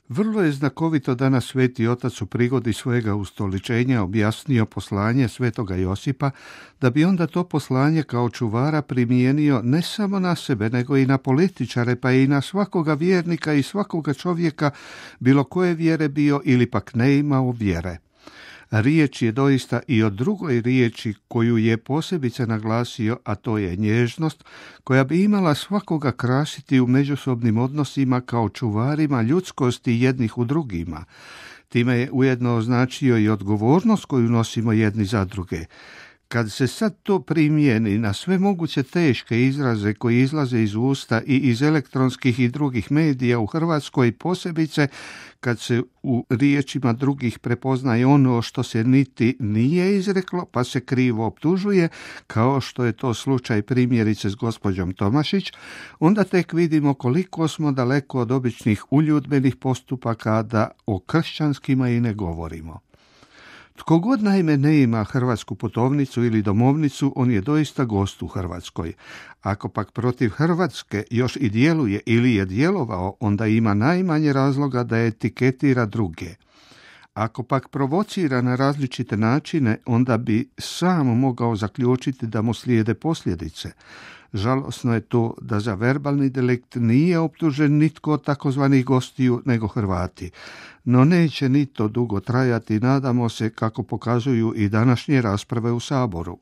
Vrlo je znakovito da nas Sveti Otac u prigodi svojega ustoličenja objasnio poslanje Svetoga Josipa, da bi onda to poslanje kao čuvara primijenio ne samo na sebe, nego i na političare, pa i na svakoga vjernika i svakoga čovjeka, bilo koje vjere bio ili pak ne imao vjere. Riječ je doista i o drugoj riječi koju je posebice naglasio, a to je nježnost, koja bi imala svakoga krasiti u međusobnim odnosima kao čuvarima ljudskosti jednih u drugima. Time je ujedno označio i odgovornost koju nosimo jedni za druge. Kad se sad to primijeni na sve moguće teške izraze koji izlaze iz usta i iz elektronskih i drugih medija u Hrvatskoj, posebice kad se u riječima drugih prepoznaje ono što se niti nije izreklo, pa se krivo optužuje, kao što je to slučaj primjerice s gospođom Tomašić, onda tek vidimo koliko smo daleko od običnih uljudbenih postupaka, da o kršćanskima i ne govorimo. Tko god naime ne ima hrvatsku putovnicu ili domovnicu, on je doista gost u Hrvatskoj. Ako pak protiv Hrvatske još i djeluje ili je djelovao, onda ima najmanje razloga da etiketira druge. Ako pak provocira na različite načine, onda bi sam mogao zaključiti da mu slijede posljedice. Žalosno je to da za verbalni delikt nije optužen nitko od takozvanih gostiju nego Hrvati. No neće ni to dugo trajati, nadamo se, kako pokazuju i današnje rasprave u Saboru.